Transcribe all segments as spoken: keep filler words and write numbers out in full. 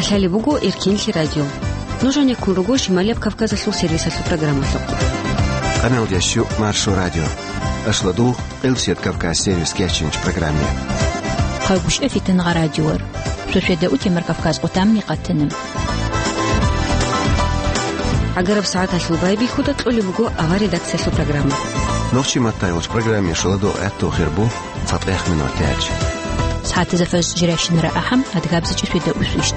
Лъалеб буго Эркенлъи радио. Нуж гьанеккун руго Шималияб Кавказалъул сервисалъул программалъухъ. Къаналдящу Маршо радио. Ашладул Къилсият Кавказ сервис кечинч программе. Хъагушев Фитангъа радиор. Шошеда утемар Кавказ къутамни къатана. Агараб сагӀаталъул байбихьуда кьолеб буго авар редакциялъул программа. Нохчи маттайгъуч программе шаладу гӀатту хирбу. ЦатӀех минут тяч. СагӀатазда фажр жирайщинара ахӀам, адгабзичӀеб свида усвищт.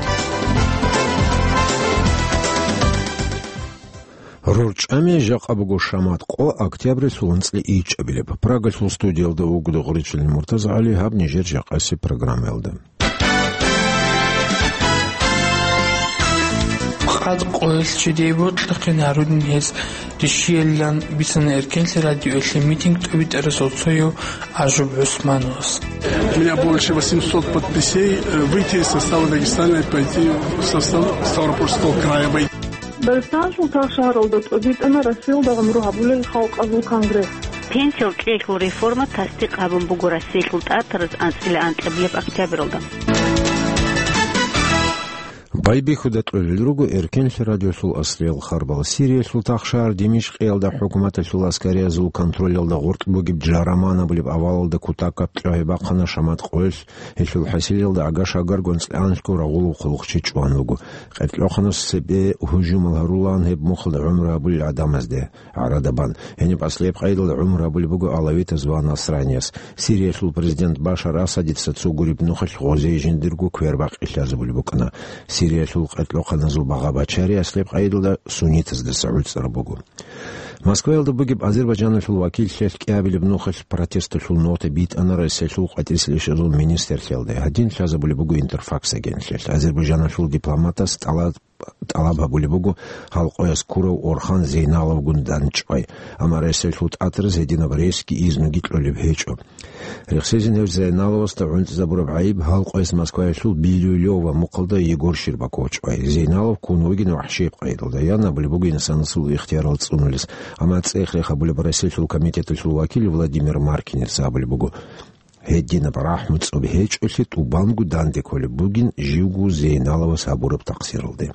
РорчӀами жакъа буго шамат къо октябрилъул анцӀила ичӀабилеб. Прагалъул студиялда вуго Дугъричилин МуртазагӀали, гьаб нижер жакъасеб программаялда. Къад къоялъ чедияб бокьухъе гьарунин гьез рищиялилан бицана Эркенлъи радиоялъе митинг тӀобитӀарасул цояв Ажуб ГӀусмановас. У меня больше восемьсот подписей, э, выйти из состава Дагестана и пойти в состав Ставропольского края. Дагъистаналъул тахшагьаралда тӀобитӀана Россиялда гӀумру гьабулел халкъазул конгресс. Пенсиял кьеялъул реформа тасдикъ гьабун буго Россиялъул тӀатараз анцӀила анкьабилеб октябралда. Байбихьуда кьолел руго Эркенлъи радиолъул аслиял харбал. Сириялъул тахшагьар Димишкъиялда хӀукуматалъул аскариязул контролялда гъоркь бугеб Джараман абулеб авалалда кутакаб кьогьи бахъана шамат къоялъ, гьелъул хӀасилалда агаш-агарго анцӀила анлъго рагъулаб хъулухъчи чӀван вуго. Къеркьоханас цебе гьужумал гьарулаан гьеб мухалда гӀумру гьабулел гӀадамазде гӀарадабан. Гьениб аслияб къайдалда гӀумру гьабулеб буго алавитаз ва насранияс. Сириялъул президент Башар Асадица цо гуреб нухалъ гъозие жиндирго квербакъи лъазабулеб букӀана. Сириялъул къеркьоханазул багъа-бачари аслияб къайдалда суннитаздаса гӀуцӀараб буго. Москваялда бугеб Азербайджаналъул вакиллъиялъ кӀиабилеб нухалъ протесталъул нота битӀана Россиялъул къватӀисел ишазул министрлъиялда. Гьадин лъазабулеб буго Интерфакс агентлъиялъ. Азербайджаналъул дипломатас тӀалаб тӀалаб гьабулеб буго гьал къояс ккурав Орхан Зейналовгун дандчӀвай, амма Россиялъул тӀатараз гьединаб ресги изнуги кьолеб гьечӀо. Рехсезин гьев Зейналовасда гӀунтӀизабураб гӀайиб гьал къояс Москваялъул Бирюлёво мухъалда Егор Щербаков чӀвай. Зейналов ккун вугин вахӀшияб къайдалда, ян абулеб буго инсанасул ихтиярал цӀунулес, амма цӀех-рех гьабулеб Россиялъул комитеталъул вакил Владимир Маркинец абулеб буго, гьединаб рахӀму цӀоб гьечӀолъи тӀубанго данде кколеб бугин живго Зейналовас гьабураб такъсиралде.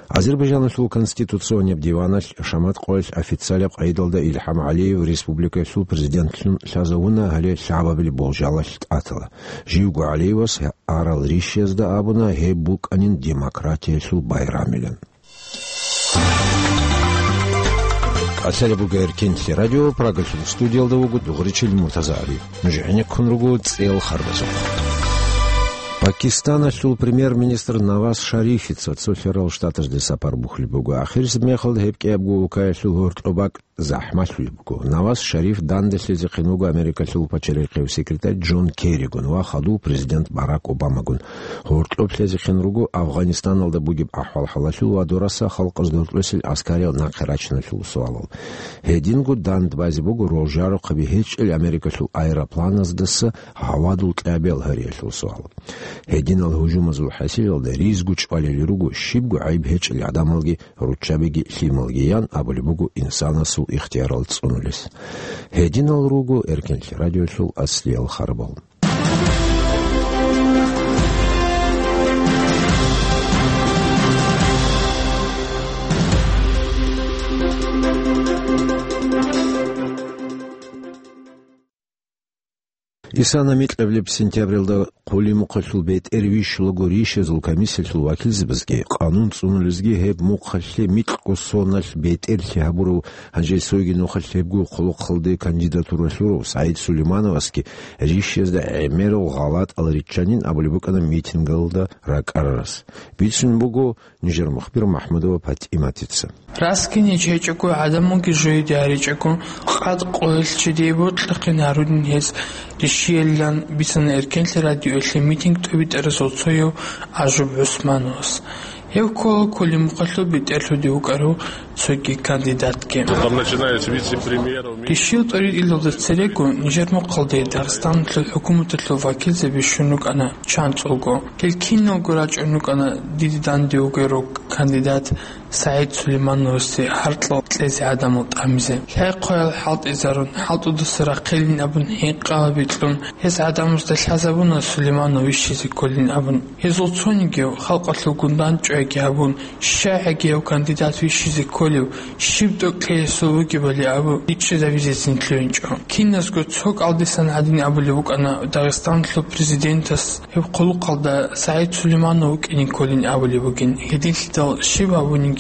Азербайджаналъул Конституционияб диваналъ шамат къоялъ официалаб къайдалда Илхам ГӀалиев республикаялъул президентлъун лъазавуна, гьале лъабабилеб болжалалъ тӀатала. Живго ГӀалиевас арал рищиязда абуна гьеб букӀанин демократиялъул байрамилан. Къалъалеб буго Эркенлъи радио, Прагалъул студиялда вуго Дугъричил Муртазагьари. Нуж гӀенеккун руго цӀел харбазухъ. Пакистаналъул премьер-министр Наваз Шарифица цо лъарал штатазде сапар бухьулеб буго. Ахирисеб мехалда гьеб кӀиябго улкаялъул гьоркьоб бакӀ захӀмалъулеб буго. Наваз Шариф данделъизехъин вуго Америкалъул пачалихъев секретарь Джон Керригун ва хадув президент Барак Обамагун. Гьоркьоб лъезехъин руго Афганистаналда бугеб ахӀвал-хӀалалъул ва дураса халкъаз доркьосел аскариял нахъе рачиналъул суалал. Гьединго дандбазе буго рожарухъаби гьечӀел Америкалъул аэропланаздаса гьавадул кьабел гьариялъул суал. Гьединал гьужумазул хӀасилалда ризго чӀвалел руго щибго гӀайиб гьечӀел гӀадамалги, руччабиги, лъималги, ян абулеб буго инсанасул ихтиярал цӀунулес. Гьединал руго Эркенлъи радиолъул аслиял харбал. Исана микьабилеб сентябралда хъулимухъалъул бетӀер вищулаго рищазул комиссиялъул вакилзабазги, къанун цӀунулезги гьеб мухъалъе микьго соналъ бетӀерлъи гьабурав гьанже цойги нухалъ гьебго хъулухъалде кандидатура лъурав СагӀид Сулеймановасги рищазда гӀемерал гъалатӀал риччанин абулеб букӀана митингалда ракӀарарас. Бицун буго нижер мухбир МахӀмудова ПатӀиматица. Расги ниж гьечӀого, гӀадамалги жояде гьаричӀого, къад къоялъ чедияб бокьухъе гьарунин гьез рищиялилан бицана Эркенлъи радиоялъе митинг тӀобитӀарасул цояв Ажуб ГӀусмановас. Гьев ккола хъулимухъалъул бетӀерлъуде вукӀарав цоги кандидатги. Там, начиная с вице-премьеров, ми- Ришиял тӀоритӀилалда церего нижер мухъалде Дагъистаналъул хӀукуматалъул вакилзаби щун рукӀана чанцӀулго. Гьел киналго рачӀун рукӀана диде данде вугев кандидат СагӀид Сулеймановасе гьаркьал кьезе гӀадамал тӀамизе. Лъай-хъваял хӀалтӀизарун, хӀалтӀудаса рахъилин абун гьинкъала бикьун, гьез гӀадамазда лъазабуна Сулейманов вищизе кколин абун. Гьезул цонигияв халкъалъулгун дандчӀвайги гьабун, щай гьагияв кандидат вищизе кколев, щиб тӀокӀлъи гьесул бугебали абу, бичӀчӀизабизецин лъугьинчӀо. Киназго цо кӀалдисан гьадин абулеб букӀана Дагъистаналъул президентас гьеб хъулухъалда СагӀид Сулейманов вукӀине кколин абулеб бугин, гьединлъидал щиб гьабуниги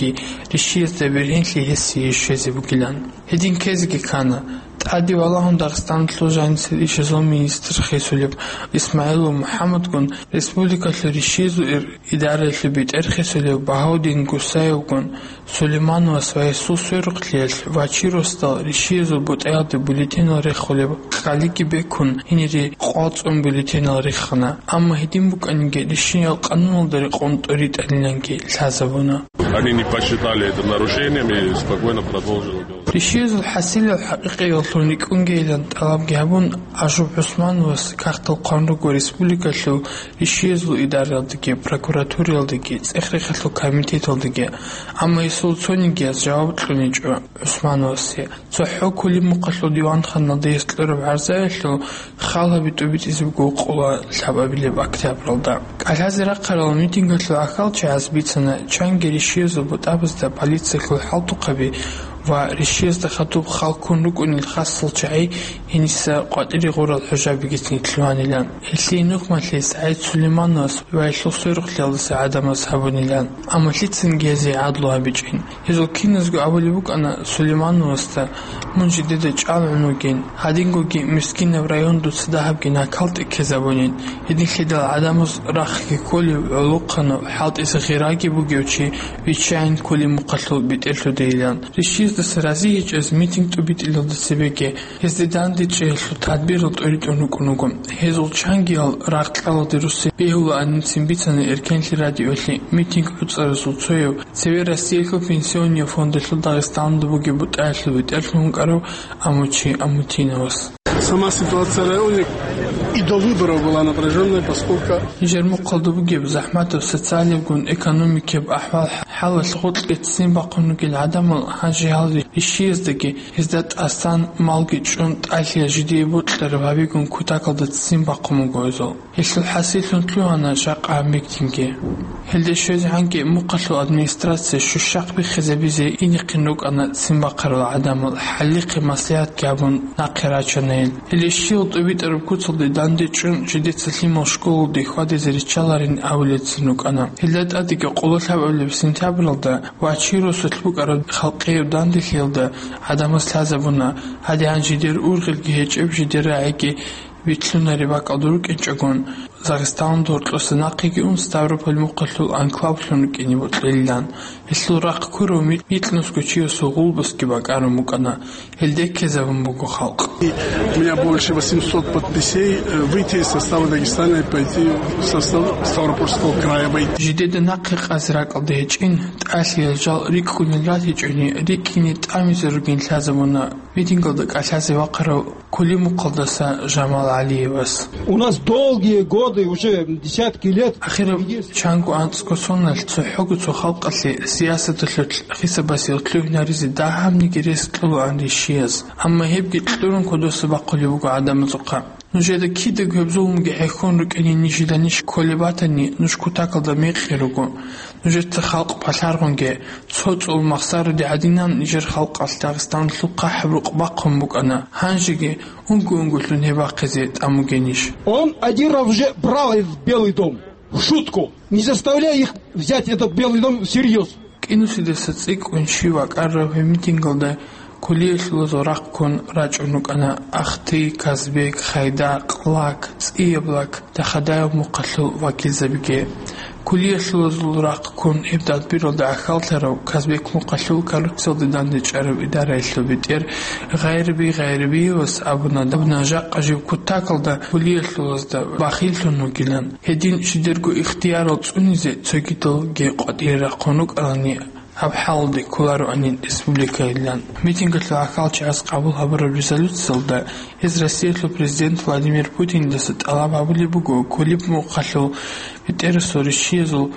ришиязда бергьенлъи гьесие щвезе бугилан. Гьедин ккезеги ккана. ТӀаде валагьун Дагъистаналъул жанисел ишазул министр хисулеб ИсмагӀилов МухӀаммадгун, республикалъул ришиязул ир-, идараялъул бетӀер хисулев Багьаудин Гусаевгун, Сулеймановас ва гьесул сверухълъиялъ Вачиросдал ришиязул бутӀаялде бюллетенал рехулеб къалиги бекун, гьенире къвацӀун бюллетенал риххана. Амма гьедин букӀаниги, ришиял къануналда рекъон тӀоритӀаниланги лъазабуна. Они не посчитали это нарушением и спокойно продолжили дело. Ришиязул хӀасилал хӀакъикъияллъун рикӀкӀунгейилан тӀалабги гьабун, Ажуб ГӀусмановас кагътал хъван руго республикалъул ришиязул идараялдаги, прокуратураялдаги, цӀех-рехалъул комитеталдаги, амма гьесул цонигияс жаваб кьуничӀо ГӀусмановасе. ЦохӀо Кулимухъалъул диванханалда гьес кьураб гӀарзаялъул хал гьаби тӀубитӀизе буго къола лъабабилеб октябралда. КӀалъазе рахъарал митингалъул гӀахьалчагӀаз бицана, чанги ришиязул бутӀабазда полициялъул хӀалтӀухъаби ва ришиязда хадуб хал ккун рукӀунел хасал чагӀи гьениса къватӀире гъурал хӀужабигицин лъугьанилан. Гьелъие нухмалъи СагӀид Сулеймановас ва гьелъул сверухълъиялдаса гӀадамаз гьабунилан, амма лъицанги гьезие гӀадлу гьабичӀин. Гьезул киназго абулеб букӀана Сулеймановасда: «Мун жидеда чӀалгӀун вугин, гьадингоги мискинаб район дуца дагьабги накал тӀеккезабунин, гьединлъидал гӀадамаз рахъги кколев, гӀолохъанав, хӀалтӀизе гъираги бугев чи виччайин Кулимухъалъул бетӀерлъудейилан». Ришиздаса разигьечӀез митинг тӀубитӀилалда цебеги гьезде дандечӀеялъул тадбирал тӀоритӀун рукӀун руго. Гьезул чангиял рагъ-кьалалде руссин бегьулаанин цин бицана Эркенлъи радиолъи митинг гӀуцӀаразул цояв, цеве Россиялъул пенсионный фондалъул Дагъистаналда бугеб бутӀаялъул бетӀерлъун вукӀарав Амучи Амутиновас. Сама ситуация в районе и до выборов была напряжённая, поскольку... Нижер мухъалда бугеб захӀматаб социалиябгун экономикияб ахӀвал-хӀалалъ гъоркье ццин бахъун ругел гӀадамал гьанже гьал ришияздаги гьезда тӀасан малги чӀун тӀалъиялъ жидее бокьараб гьабигун кутакалда ццин бахъун буго гьезул. Гьелъул хӀасиллъун лъугьана жакъа гьаб митинги. Гьелде щвезегӀанги мухъалъул администрация щущахъ биххизабизе инехъин рукӀана ццин бахъарал гӀадамал, хӀалихъе маслигӀатги гьабун нахъе рачана гьел. Гьеле щивал тӀубитӀараб куцалде дандечӀун жидеца лъимал школалде хьвадизе риччаларин абулецин рукӀана. Гьелда тӀадеги къоло лъабабилеб сентябралда Вачиросулъ букӀараб халкъияб данделъиялда гӀадамаз лъазабуна, гьадигӀан жидер ургъелги гьечӀеб, жидер рагӀиги витлъунареб бакӀалда рукӀинчӀогон, Дагъистаналда гьоркьоса нахъеги ун Ставрополь мухъалъул анклавлъун рукӀине бокьилилан. Гьелъул рахъ ккурав ми-, микьнусго чиясул гъулбасги бакӀарун букӀана. Гьелде ккезабун буго халкъ. И у меня больше восемьсот подписей, э, выйти из состава Дагестана и пойти в состав Ставропольского края войти. Жидеда нахъе къазе ракӀалда гьечӀин, тӀалъиялъ жал рикӀкӀунел ратичӀони, рикӀкӀине тӀамизе ругин лъазабуна митингалда кӀалъазе вахъарав Кулимухъалдаса Жамал ГӀалиевас. У нас долгие годы, уже десятки лет. Ахираб чанго анцӀго соналъ цохӀого цо халкъалъе сиясаталъулъ хисабасиялъ лъугьинаризе дагьабниги рес кьолаан ришияз. Амма гьебги кьурун кодоса бахъулеб буго гӀадамазухъа. Нужеда кидаго гьеб зулмуги хӀехьон рукӀине нижеда ниж кколеб батани, нуж кутакалда мекъи руго. Нужеца халкъ палъаргъунге, цо цӀул махсаруде гӀадинан нижер халкъалъ Дагъистаналъухъ хӀабрукъ бахъун букӀана. Гьанжеги унго-унголъун гьеб бахъизе тӀамугенищ? Он один раз уже брал этот Белый дом в шутку, не заставляя их взять этот Белый дом всерьез. КӀинусидаса цӀикӀкӀун щив вакӀарав гьеб митингалда кулиялъулазул рахъ ккун рачӀун рукӀана Ахти, Казбек, Хайдакъ, Лак, ЦӀияб Лак, Дахадаев мухъалъул вакилзабиги. Кулиялъулазул рахъ ккун гьеб тадбиралда гӀахьаллъарав Казбек мухъалъул коррупциялде дандечӀараб идараялъул бетӀер Гъайрби Гъайрбиевас абуна, абуна жакъа жив кутакалда кулиялъулазда бахиллъун вугилан. Гьедин жидерго ихтиярал цӀунизе цогидалги къватӀире рахъун рукӀарални, гьаб хӀалалде кколароанин республикайилан. Митингалъул гӀахьалчагӀаз къабул гьабураб резолюциялда гьез Россиялъул президент Владимир Путиндаса тӀалаб гьабулеб буго кколеб мухъалъул бетӀерасул ришшиязул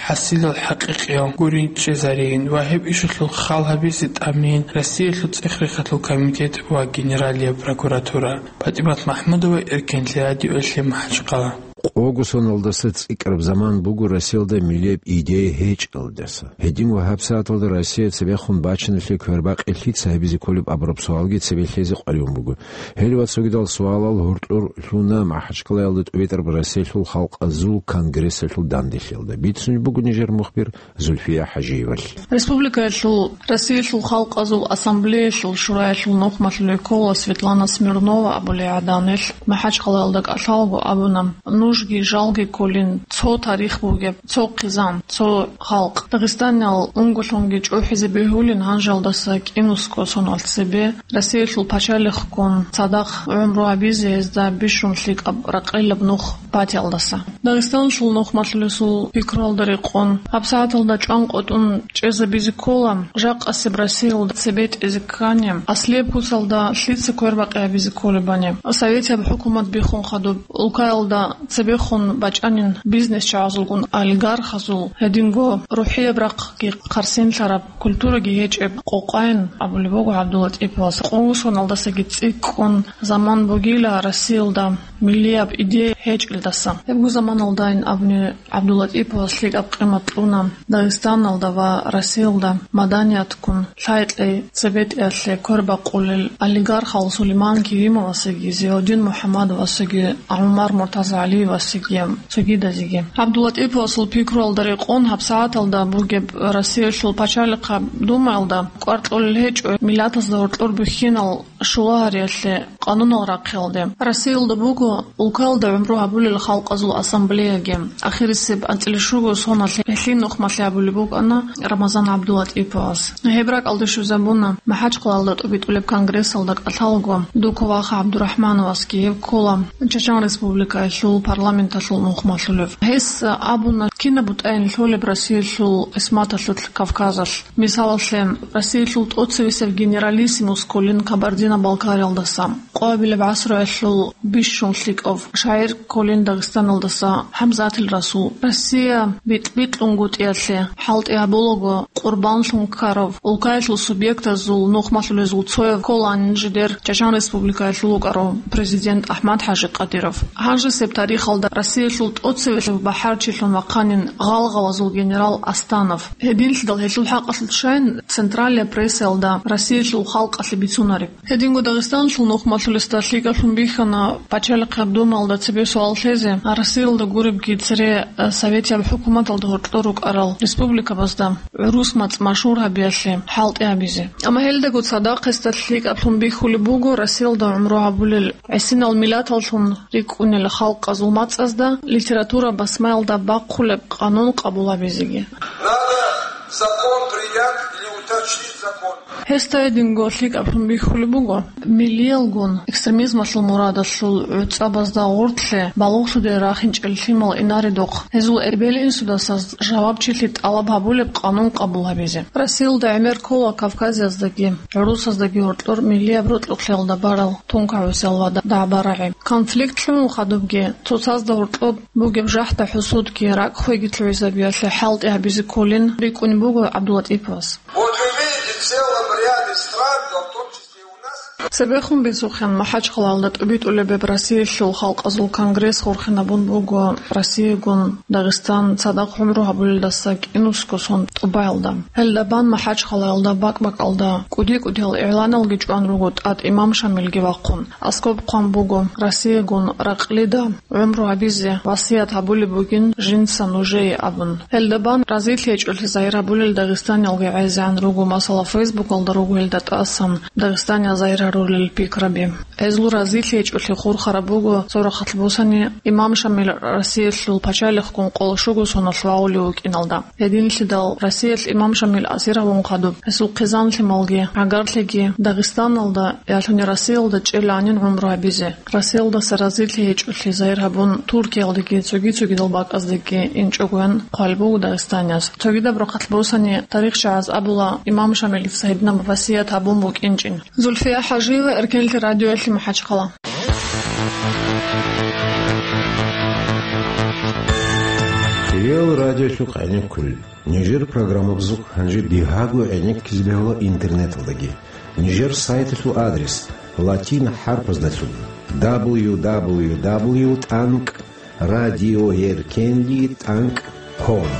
хӀасилал хӀакъикъиял гури чӀезариин ва гьеб ишалъул хал гьабизе тӀамиин Россиялъул ЦӀехрехалъул комитет ва Генералияб прокуратура. ПатӀимат МахӀмудова, Эркенлъи радиоялъе МахӀачхъала. Къого соналдаса цӀикӀкӀараб заман буго Россиялда миллияб идея гьечӀелдаса. Гьедин ва гьабсагӀаталда Россия цебехун бачиналъе квербакъи лъица гьабизе кколеб абураб суалги цебе лъезе къваригӀун буго. Гьеле ва цогидал суалал гьоркьор лъуна МахӀачхъалаялда тӀубитӀараб Россиялъул халкъазул конгрессалъул данделъиялда. Бицунеб буго нижер мухбир Зульфия ХӀажиевалъ. Республикаялъул Россиялъул халкъазул ассамблеялъул шураялъул нухмалъуле ккола Светлана Смирнова абулей гӀаданелъ МахӀачхъалаялда кӀалъалго абуна: «Нужги жалги кколин цо тарих бугеб, цо хъизан, цо халкъ. Дагъистаниял унголъунги чӀухӀизе бегьулин гьанжалдаса кӀинусго соналъ цебе Россиялъул пачалихъгун цадахъ гӀумру гьабизе гьезда бищун лъикӀаб ракъилаб нух батиялдаса». Дагъистаналъул нухмалъулесул пикруялда рекъон, гьабсагӀаталда чӀванкъотӀун чӀезабизе ккола, жакъасеб Россиялда цебетӀезе ккани, аслияб куцалда лъица квербакъи гьабизе кколебани. Советияб хӀукумат биххун хадуб, улкаялда цебехун бачӀанин бизнесчагӀазулгун олигархазул, гьединго рухӀияб рахъги хъарсинлъараб, культураги гьечӀеб къокъайн абулеб буго ГӀабдуллатӀиповас. Къугъусоналдасаги цӀикӀкӀун заман бугила Россиялда миллияб идея гьечӀелдаса. Гьебго заманалдайин абуни ГӀабдуллатӀиповас лъикӀаб къимат кьуна Дагъистаналда ва Россиялда маданиятгун лъай-кьей цебетӀеялъе квербакъулел олигархал Сулейман Керимовасаги, Зиаудин МухӀаммадовасаги, ГӀумар МуртазагӀалиевасаги, цогидазеги. ГӀабдуллатӀиповасул пикруялда рекъон гьабсагӀаталда бугеб Россиялъул пачалихъаб Думаялда кӀвар кьолел гьечӀо миллатазда гьоркьор бихьинал шулагьариялъе къанунал рахъиялде. Россиялда буго улкаялда гӀумру гьабулел халкъазул ассамблеяги. Ахирисеб анцӀила щуго соналъ гьелъие нухмалъи гьабулеб букӀана Рамазан ГӀабдуллатӀиповас. Гьеб ракӀалде щвезабуна МахӀачхъалаялда тӀубитӀулеб конгрессалда кӀалъалго Дукова ГӀабдурахӀмановасги, гьев ккола Чачан Республикаялъул парламенталъул нухмалъулев. Гьес абуна, кинаб бутӀайин лъолеб Россиялъул къисматалъулъ Кавказалъ. Мисалалъе, Россиялъул тӀоцевесев генералиссимус кколин Кабардино-Балкариялдаса, къоабилеб гӀасруялъул бищун лъикӀав шагӀир кколин Дагъистаналдаса ХӀамзатил Расул. Россия битӀ-битӀунгутӀиялъе хӀалтӀи гьабулаго къурбанлъун ккарав, улкаялъул субъектазул нухмалъулезул цояв кколанин жидер Чачан Республикаялъул вукӀарав президент АхӀмад-ХӀажи Къадиров. Гьанжесеб тарихалда Россиялъул тӀоцевесев бахӀарчилъун вахъанин гъалгъалазул генерал Астанов. Гьединлъидал гьелъул хӀакъалъулъ щайин централияб прессаялда Россиялъул халкъалъе бицунареб. Гьединго Дагъистаналъул нухмалъулесда лъикӀаблъун бихьана пачалихъаб Думаялда цебе суал лъезе, Россиялда гуребги цере, э, советияб хӀукуматалда гьоркьор рукӀарал республикабазда гӀурус мацӀ машгьур гьабиялъе хӀалтӀи гьабизе. Амма гьелдаго цадахъ гьесда лъикӀаблъун бихьулеб буго Россиялда гӀумру гьабулел гӀисинал миллаталлъун рикӀкӀунел халкъазул мацӀазда литература басмаялда бахъулеб къанун къабул гьабизеги. Надо закон принять или уточнить закон. Гьесда гьединго лъикӀаблъун бихьулеб буго, миллиялгун экстремизмалъул мурадалъул гӀуцӀабазда гъорлъе балугълъуде рахинчӀел лъимал инаредухъ, гьезул эбел-инсудаса жавабчилъи тӀалаб гьабулеб къанун къабул гьабизе. Россиялда гӀемер ккола Кавказаздаги гӀурусаздаги гьоркьор миллияб рокьукълъиялда барал тункагӀусиял ва дагӀба-рагӀи. Конфликт лъугӀун хадубги, цоцазда гьоркьоб бугеб жахӀда-хӀусудги, ракӀ-хвеги лъугӀизабиялъе хӀалтӀи гьабизе кколин рикӀкӀунеб буго ГӀабдуллатӀиповас. Вот вы видите, в целом ряде стран, да в том числе и у нас. Цебехун бицухъин, МахӀачхъалаялда тӀубитӀулеб Россиялъул халкъазул конгресс хурхинабун буго Россиягун Дагъистан цадахъ гӀумру гьабулелдаса кӀинусго сон тӀубаялда. Гьелда бан МахӀачхъалаялда бакӀ-бакӀалда кӀуди-кӀудиял игӀланалги чӀван руго, ТӀатӀимам Шамилги вахъун. Аскоб хъван буго, Россиягун ракълида гӀумру гьабизе васият гьабулеб бугин жинца нужее абун. Гьелда бан разилъи гьечӀолъи загьир гьабулел дагъистаниялги гӀезегӀан руго, масала, Фейсбукалда руго гьелда тӀасан дагъистаниял загьир гьарулел. гьабулел пикраби. Гьезул разилъи гьечӀолъи хурхараб буго цо рахъалъ босани, имам Шамил Россиялъул пачалихъгун къоло щуго соналъ вагьулев вукӀиналда. Гьединлъидал Россиялъ имам Шамил асир гьавун хадуб, гьесул хъизан-лъималги, гӀагарлъиги Дагъистаналда, ялъуни Россиялда чӀеланин гӀумру гьабизе. Россиялдаса разилъи гьечӀолъи загьир гьабун, Туркиялдеги цоги-цогидал бакӀаздеги инчӀогоян хъвалеб буго дагъистанияз. Цогидаб рахъалъ босани, тарихчагӀаз абула, имам Шамилица гьединаб васият гьабун букӀинчӀин. Зульфия ХӀажиева, Эркенлъи радиоялъе МахӀачхъала. Реал радиолъухъ гӀенеккулел. Нижер программабазухъ гьанже бигьаго гӀенеккизе бегьула интернеталдаги. Нижер сайталъул адрес латин хӀарпаздалъун: дабл ю дабл ю дабл ю тӀанкӀ радиоэркенлъи тӀанкӀ ком.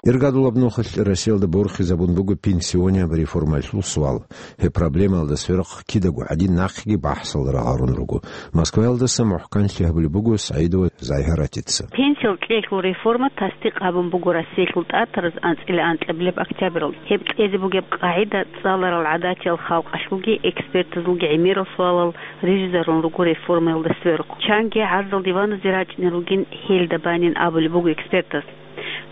Иргадулаб нухалъ Россиялда борхизабун буго пенсионияб реформаялъул суал. Гьеб проблемаялда сверухъ кидаго гӀадин нахъеги бахӀсал рагъарун руго. Москваялдаса мухӀканлъи гьабулеб буго СагӀидова Загьиратица. Пенсиял кьеялъул реформа тасдикъ гьабун буго Россиялъул тӀатараз анцӀила анкьабилеб октябралда. Гьеб кьезе бугеб къагӀида цӀаларал гӀадатиял халкъалъулги экспертазулги гӀемерал суалал рижизарун руго реформаялда сверухъ. Чанги гӀарзал диваназе рачӀунел ругин гьелда банин абулеб буго экспертаз.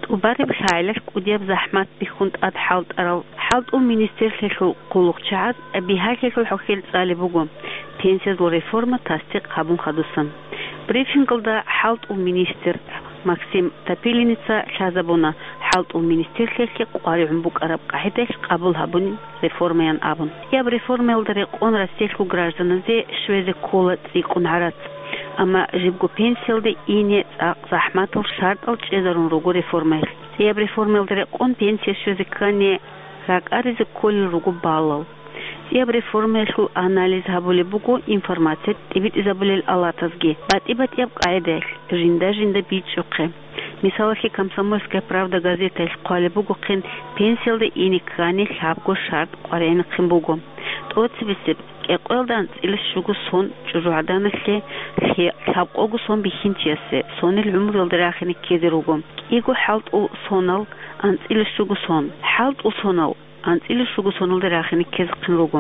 ТӀубареб лъагӀелалъ кӀудияб захӀмат бихьун тӀад хӀалтӀарал хӀалтӀул министрлъиялъул хъулухъчагӀаз бигьалъиялъул хӀухьел цӀалеб буго пенсиязул реформа тасдикъ гьабун хадусан. Брифингалда хӀалтӀул министр Максим Топилинница лъазабуна хӀалтӀул министрлъиялъе къваригӀун букӀараб къагӀидаялъ къабул гьабунин реформаян абун. КӀияб реформаялда рекъон Россиялъул гражданазе щвезе ккола цӀикӀкӀун гӀарац. Амма жибго пенсиялде ине цӀакъ захӀматал шартӀал чӀезарун руго реформаялъ. КӀияб реформаялда рекъон пенсия щвезе ккани, ракӀаризе кколел руго баллал. КӀияб реформаялъул анализ гьабулеб буго информация тӀибитӀизабулел алатазги батӀи-батӀияб къагӀидаялъ жинда-жинда бичӀчӀухъе. Мисалалъе, «Комсомольская правда» газетаялъ хъвалеб бугохъин, пенсиялда ине ккани лъабго шартӀ къваригӀинехъин буго. ТӀоцебесеб, кӀикъоялда анцӀила щуго сон чӀужугӀаданалъе, лъе-, лъабкъого сон бихьинчиясе, сонил гӀумруялда рахине ккезе руго. КӀиго хӀалтӀул сонал анцӀила щуго сон. ХӀалтӀул сонал анцӀила щуго соналда рахине ккезехъин руго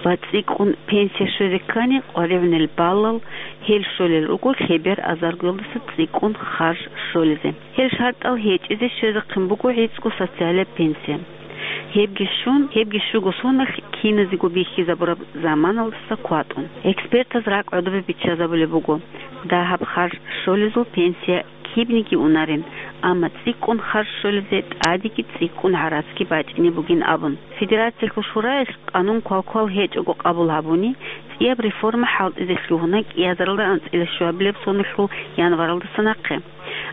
ва цӀикӀкӀун пенсия щвезе ккани къваригӀунел баллал, гьел щолел руго лъебер азаргоялдаса цӀикӀкӀун харж щолезе. Гьел шартӀал гьечӀезе щвезехъин буго гӀицӀго социалияб пенсия. Гьебги щун, гьебги щуго соналъ киназего бихьизабураб заманалдаса кватӀун. Экспертаз ракӀ гӀодобе биччазабулеб буго, дагьаб харж щолезул пенсия кибниги унарин, амма цӀикӀкӀун харж щолезе тӀадеги цӀикӀкӀун гӀарацги бачӀине бугин абун. Федерациялъул шураялъ къанун квалквал гьечӀого къабул гьабуни, цӀияб реформа хӀалтӀизе лъугьуна кӀиазаралда анцӀила щуабилеб соналъул январалдаса нахъе.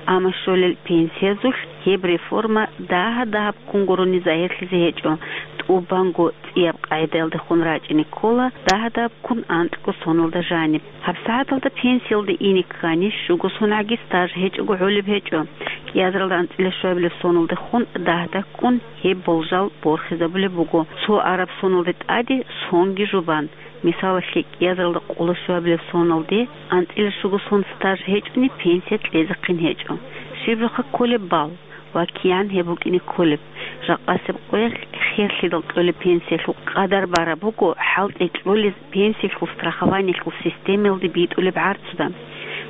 Амма щолел пенсиязулъ гьеб реформа дагьа-дагьаб ккун гурони загьирлъизе гьечӀо, тӀубанго цӀияб къагӀидаялдехун рачӀине ккола дагьа-дагьаб ккун анкьго соналда жаниб. ГьабсагӀаталда пенсиялда ине ккани, щуго соналъги стаж гьечӀого гӀолеб гьечӀо. КӀиазаралда анцӀила щуабилеб соналдехун дагьда ккун гьеб болжал борхизабулеб буго, цо араб соналде тӀаде сонги жубан. Мисалалъе, кӀиазаралда къоло щуабилеб соналде анцӀила щуго сон стаж гьечӀони пенсия кьезехъин гьечӀо. Щиб-, жоха кколеб балл ва кигӀан гьеб букӀине кколеб. Жакъасеб къоялъ херлъидал кьолеб пенсиялъул къадар бараб буго хӀалтӀи кьолез пенсиялъул страхованиялъул системаялде битӀулеб гӀарцуда.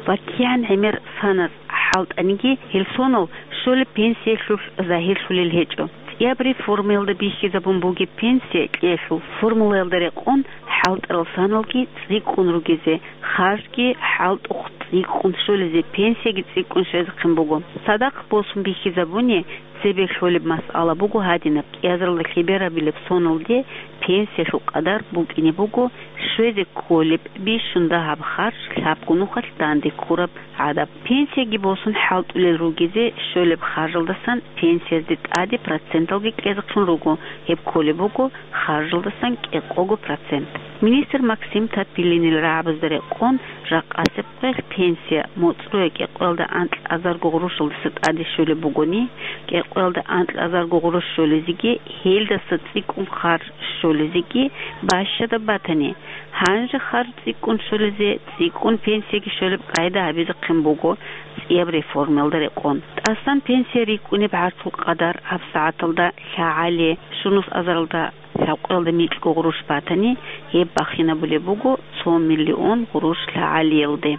Ва кигӀан гӀемер саназ хӀалтӀаниги, гьел сонал щолеб пенсиялъулъ загьирлъулел гьечӀо. ЦӀияб реформаялда бихьизабун бугеб пенсия кьеялъул формулаялда рекъон хӀалтӀарал саналги цӀикӀкӀун ругезе, харжги хӀалтӀухъ цӀикӀкӀун щолезе, пенсияги цӀикӀкӀун щвезехъин буго. Цадахъ босун бихьизабуни, цебе лъолеб масъала буго гьадинаб: кӀиазаралда лъеберабилеб соналде пенсиялъул къадар букӀине буго щвезе кколеб бищун дагьаб харж лъабго нухалъ данде ккураб гӀадаб. Пенсияги босун хӀалтӀулел ругезе, щолеб харжалдасан пенсиязде тӀаде проценталги кьезехъин руго, гьеб кколеб буго харжалдасан кӀикъого процент. Министр Максим Топилинил рагӀабазда рекъон, жакъасеб къоялъ пенсия моцӀрояв кӀикъоялда анкьазарго гъурущалдаса тӀаде щолеб бугони, кӀикъоялда анкьазарго гъурущ щолезеги, гьелдаса цӀикӀкӀун харж щолезеги бащадаб батани, Гьанже харж цӀикӀкӀун щолезе, цӀикӀкӀун пенсияги щолеб къайда гьабизехъин буго цӀияб реформаялда рекъон. ТӀасан пенсия рикӀкӀунеб гӀарцул къадар гьабсагӀаталда лъагӀалие щунус азаралда лъабкъоялда микьго гъурущ батани, гьеб бахинабулеб буго цо миллион гъурущ лъагӀалиялде.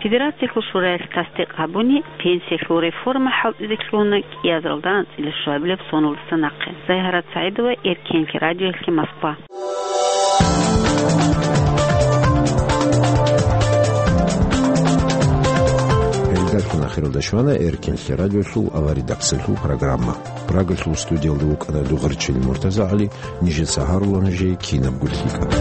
Федерациялъул шураялъ тасдикъ гьабуни, пенсиялъул реформа хӀалтӀизе лъугьуна кӀиазаралда анцӀила щуабилеб соналдаса нахъе. Загьарат СагӀидова, Эркенлъи радиоялъе, Москва. Передачаялъул ахиралда щвана Эркенлъи радиоялъул аваридаксалъул программа. Прагалъул студиялда вукӀана Дугъарчил МуртазагӀали, нижеца гьарула нужее кинабго лъикӀаб.